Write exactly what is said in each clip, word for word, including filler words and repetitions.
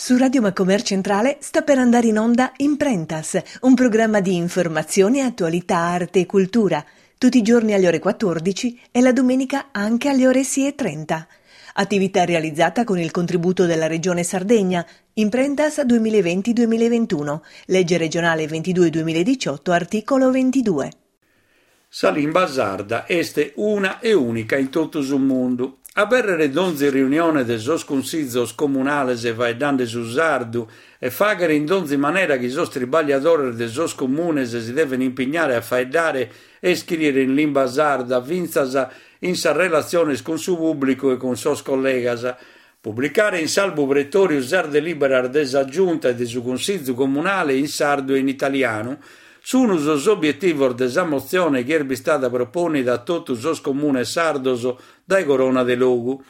Su Radio Macomer Centrale sta per andare in onda Imprentas, un programma di informazione, attualità, arte e cultura, tutti i giorni alle ore quattordici e la domenica anche alle ore sei e trenta. Attività realizzata con il contributo della Regione Sardegna, Imprentas duemilaventi duemilaventuno, legge regionale ventidue duemiladiciotto, articolo ventidue. Sa limba sarda est una e unica in totu su mundu. Abèrrere donzi riunione de sos cunsizos comunales faeddande su sardu e fàghere in donzi manera chi sos tribagliadores de sos comunes si deven impignare a faeddare e iscrìere in limba sarda fintzas in sas relatziones cun su pùblicu e cun sos collegas. Publicare in s'albu pretòriu sas delìberas de sa Giunta e de su Cunsìgiu Comunale in sardu e in italianu sunt sos obietivos de sa motzione chi est bistada propònnida a totu sos comunes sardos dae Corona de Logu.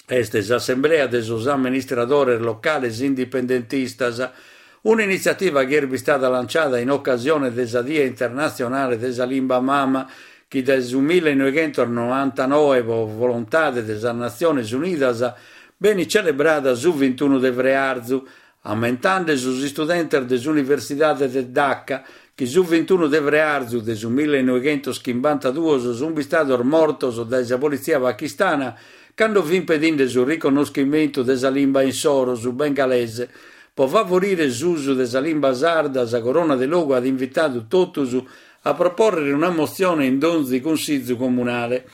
Est s'Assemblea de sos amministradores locales indipendentistas, un'initziativa chi est bistada lanciada in ocasione de sa Die Internatzionale de sa Limba Mama, chi dae su millenoighentos-novantanove, pro volontade de sas Natziones Unidas, benit celebrada su vintunu de frearzu, ammentande sos istudentes de s'Universidade de Dhaka, chi su vintunu de frearzu de su millenoighentos-chimbantaduos sunt bistados mortos dae sa politzia pakistana cando fint pedinde su riconnoschimentu de sa limba insoro, su bengalese. Pro favorire s'usu de sa limba sarda, sa Corona de Logu at invitadu totus a propòrrere una motzione in donzi cunsìgiu comunale.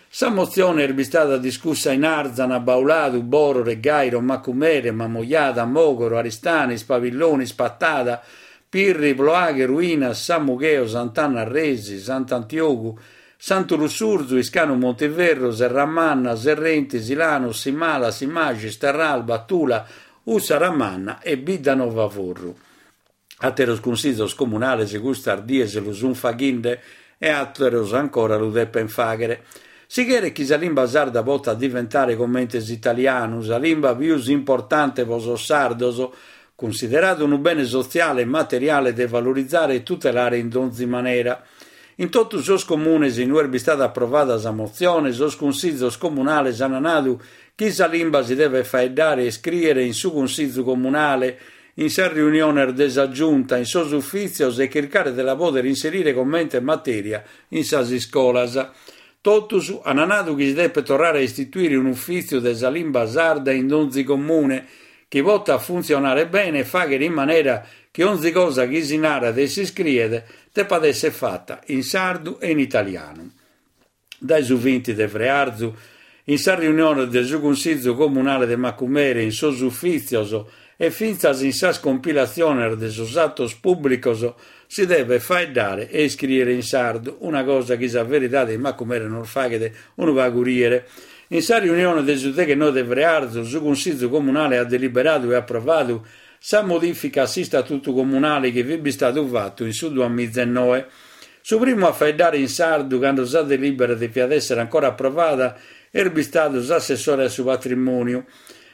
Sa motzione est bistada discussa in Arzana, Bauladu, Bòrore, Gairo, Macumere, Mamoiada, Mògoro, Aristanis, Pabillonis, Patada, Pirri, Ploaghe, Ruinas, Samugheo, Sant'Anna Arresi, Sant'Antiogu, Santu Lussurzu, Iscanu Montiferru, Serramanna, Serrenti, Silanus, Simala, Simaxis, Terralba, Tula, Ussaramanna e Biddanova Forru. Àteros cunsizos comunales custas dies lu sunt faghende e àteros ancora lu depent fàghere. Si cheret chi sa limba sarda potat diventare comente s'italianu, sa limba pius importante pro sos sardos, cunsideradu unu bene sotziale e materiale de valorizare e tutelare in donzi manera. In totu sos comunes in ue est bistada aprovada sa motzione, sos cunsizos comunales ant nadu chi sa limba si devet faeddare e iscrìere in su cunsìgiu comunale, in sas riuniones de sa Giunta, in sos ufìtzios e chircare de la pòdere inserire comente matèria in sas iscolas. Totus ant nadu chi si depet torrare a istituire un'ufìtziu de sa limba sarda in donzi comune, chi potat funtzionare bene e fàghere in manera chi onzi cosa chi si narat e s'iscriet depat èssere fata in sardu e in italianu. Dae su vinti de frearzu, in sas riuniones de su Cunsìgiu Comunale de Macumere, in sos ufìtzios e fintzas in sas compilatziones de sos atos pùblicos si devet faeddare e iscrìere in sardu, una cosa chi sa veridade in Macumere nos faghet unu pagu rìere. In sa riunione de su deghennoe de frearzu, su Cunsìgiu Comunale at deliberadu e aprovadu sa modìfica a s'Istatutu Comunale chi fit bistadu fatu in su duamiza e noe. Su primu a faeddare in sardu, cando sa delìbera deviat èssere ancora aprovada, est bistadu s'assessore a su patrimòniu,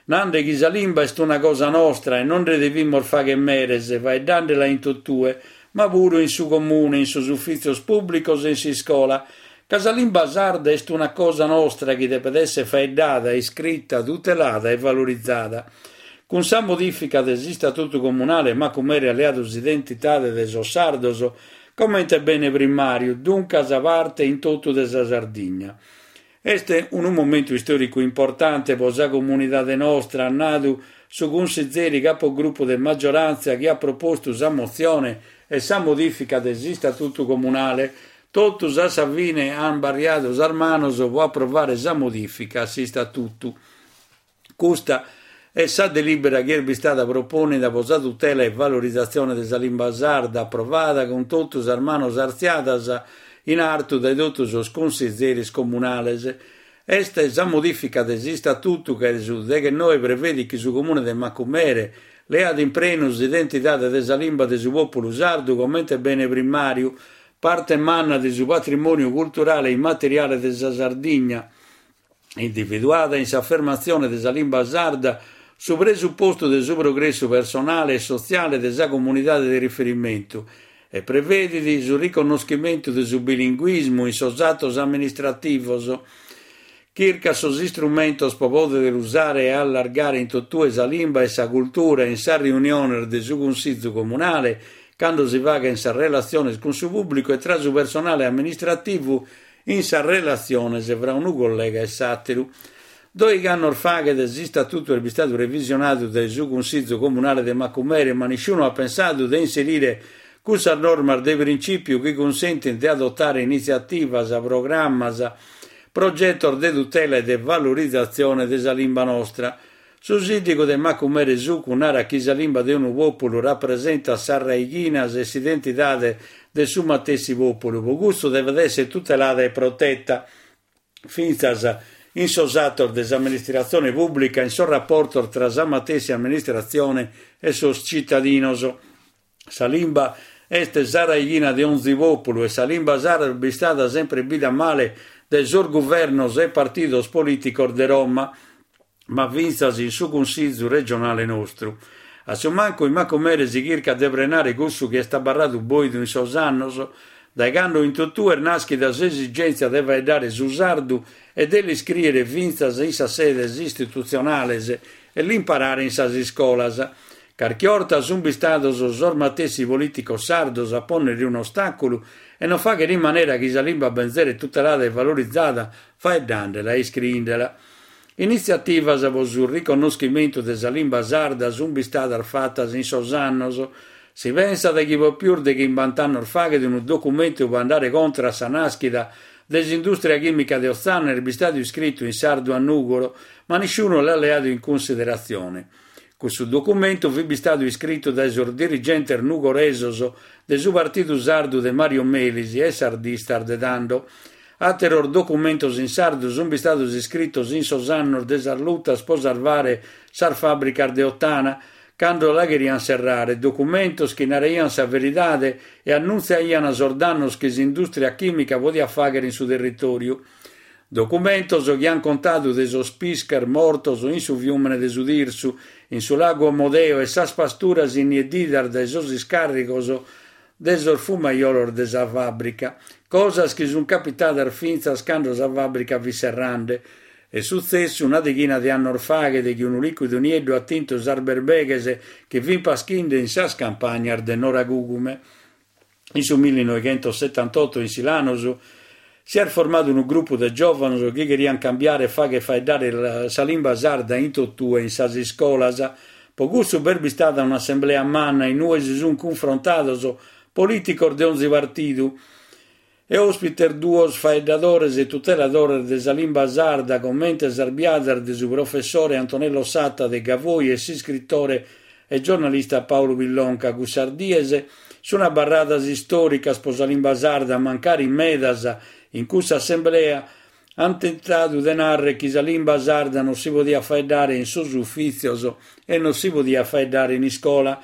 nande chi sa limba est una cosa nostra e non nde devimus fàghere meres, faeddandela in totue, ma puru in su comune, in sos ufìtzios pùblicos e in s'iscola, ca sa limba sarda est una cosa nostra chi depet èssere faeddada, iscrita, tutelada e valorizada. Cun sa modìfica de s'Istatutu Comunale, Macumere at leadu s'identidade de sos sardos comente bene primàriu, duncas parte in totu de sa Sardigna. Est unu momentu istòricu importante pro sa comunidade nostra, at nadu su cunsizeri capogrupu de maggioràntzia chi at propostu sa motzione e sa modìfica de s'Istatutu Comunale. Totus a sa fine ant barriadu sas manos pro aprovare sa modìfica a s'Istatutu. Custa est sa delìbera chi est bistada propònnida pro sa tutela e valorizatzione de sa limba sarda, aprovada cun totu sas manos artziadas in artu dae totu sos cunsizeris comunales. Est sa modìfica de s'Istatutu che su deghennoe prevedit chi su Comune de Macumere leat in prenu s'identidade de sa limba de su pòpulu sardu comente bene primàriu, parte manna de su patrimòniu culturale e immateriale de sa Sardigna, individuada in s'affermatzione de sa limba sarda su presupostu de su progressu personale e sotziale de sa comunidade de riferimentu e prevedit su riconnoschimentu de su bilinguismu in sos atos amministrativos, Chircat sos istrumentos pro pòdere usare e allargare in totue sa limba e sa cultura in sas riuniones de su Cunsìgiu Comunale, cando si faghent sas relatziones cun su pùblicu e tra su personale amministrativu in sas relatziones fra unu collega e s'àteru. Dòighi annos faghet s'istatutu est bistadu revisionadu dae su Cunsìgiu Comunale de Macumere, ma nisciunu at pensadu de inserire cussas normas de printzìpiu chi cunsentint de adotare initziativas, programmas, progetos de tutela e de valorizatzione de sa limba nostra. Su sìndigu de Macumere Succu narat chi sa limba de unu pòpulu rapresentat sas raighinas e s'identidade de su matessi pòpulu, pro custu devet èssere tutelada e proteta fintzas in sos atos de s'amministratzione pùblica, in sos raportos tra sa matessi amministratzione e sos tzitadinos. Sa limba est sa raighina de onzi pòpulu e sa limba sarda est bistada sempre bida male dae sos guvernos e partidos polìticos de Roma, ma fintzas in su Cunsìgiu regionale nostru. A su mancu in Macumere si chircat de prenare cussu chi est abarradu bòidu in sos annos, dae cando in totue est nàschida s'esigèntzia de faeddare su sardu e de l'iscrìere fintzas in sas sedes istitutzionales e l'imparare in sas iscolas. Carchi 'orta sunt bistados sos matessi polìticos sardos a pònnere un'ostàculu e non fàghere in manera chi sa limba benzeret tutelada e valorizada faeddandela e iscriendela. Initziativas pro su riconnoschimentu de sa limba sarda sunt bistadas fatas in sos annos. Si pensat chi pro pius de chimbanta annos faghet unu documentu pro andare contra a sa nàschida de s'indùstria chìmica de Otzana est bistadu iscritu in sardu a Nùgoro, ma nisciunu l'at leadu in cunsideratzione. Cussu documentu fit bistadu iscritu dae sos dirigentes nugoresos de su Partidu Sardu de Mario Melis e sardistas de tando. Àteros documentos in sardu sunt bistados iscritos in sos annos de sas lutas pro salvare sas fàbricas de Ottana, cando la cheriant serrare, documentos chi naraiant sa veridade e annuntziaiant sos dannos chi s'indùstria chìmica podiat fàghere in su territòriu. Documentos chi ant contadu de sos pisches mortos in su fiùmene de su Tirsu, in su lagu Omodeo e sas pasturas innieddidas dae sos iscàrrigos de sos fumaiolos de sa fàbrica, cosas chi sunt capitadas fintzas cando sa fàbrica fit serrande. Est sutzessu una deghina de annos faghet chi unu lìcuidu nieddu at tintu sas berbeghes chi fint paschinde in sas campagnas de Noragugume. In su millinoighentosetantotto in Silanus si est formadu unu grupu de giòvanos chi cheriant cambiare e fàghere faeddare sa limba sarda in totue in sas iscolas. Pro cussu b'est bistada un'assemblea manna in ue si sunt cunfrontados polìticos de onzi partidu e òspites duos faeddadores e tuteladores de sa limba sarda, comente sas biadas de su professore Antonello Satta de Gavoi e s'iscritore e giornalista Paolo Pillonca. Cussas dies sunt abarradas istòricas pro sa limba sarda, mancari medas in cussa assemblea ant tentadu de nàrrere chi sa limba sarda non si podiat faeddare in sos ufìtzios e non si podiat faeddare in iscola.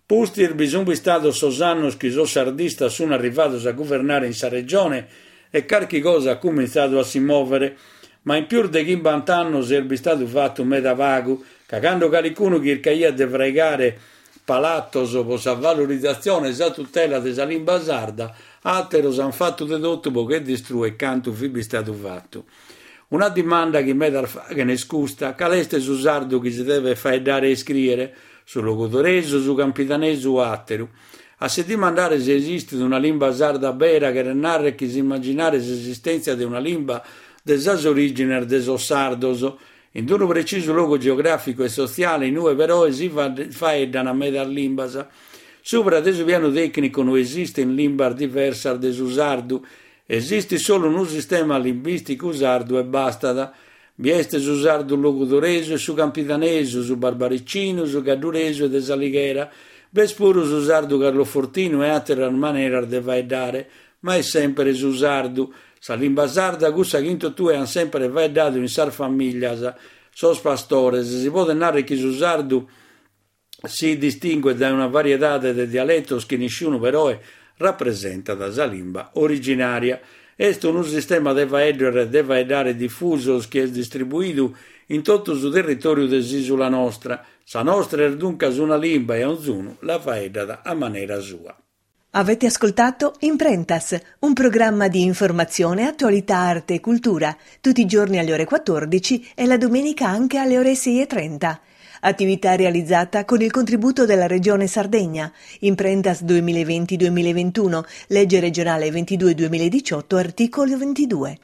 Pustis bi sunt bistados sos annos chi sos sardistas sunt arrivados a guvernare in sa regione e carchi cosa at cumintzadu a si mòvere, ma in pius de chimbanta annos est bistadu fatu meda pagu, ca cando calicunu chircaiat de fraigare palatos pro sa valorizatzione e sa tutela de sa limba sarda, àteros ant fatu de totu pro che distrùere cantu fit bistadu fatu. Una dimanda chi medas faghen est custa: cale est su sardu chi si devet faeddare e iscrìere? Su logudoresu, su campidanesu o àteru? A si dimandare si esistit una limba sarda bera cheret nàrrere chi s'immaginare s'esistèntzia de una limba de sas orìgines de sos sardos, in unu precisu logu geogràficu e sotziale in ue però si faeddan medas limbas. Subra de su pianu tècnicu no esistint limbas diversas de su sardu, esistit solu unu sistema limbìsticu sardu e bastat. Bi est su sardu logudoresu e su campidanesu, su barbaricinu, su gadduresu e de S'Alighera. B'est puru su sardu carlofortinu e àteras maneras de faeddare, ma est sempre su sardu. Sa limba sarda, cussa chi in totue ant sempre faeddadu in sas famìlias, sos pastores. Si podet nàrrere chi su sardu si distinguet dae una variedade de dialetos chi nisciunu però rapresentat sa limba originària. Est unu sistema de faeddos e de faeddare difusos chi est distribuidu in totu su territòriu de s'ìsula nostra. Sa nostra est duncas una limba e onzunu la faeddat a manera sua. Avete ascoltato Imprentas, un programma di informazione, attualità, arte e cultura, tutti i giorni alle ore quattordici e la domenica anche alle ore sei e trenta. Attività realizzata con il contributo della Regione Sardegna. Imprentas duemilaventi duemilaventuno, legge regionale ventidue duemiladiciotto, articolo ventidue.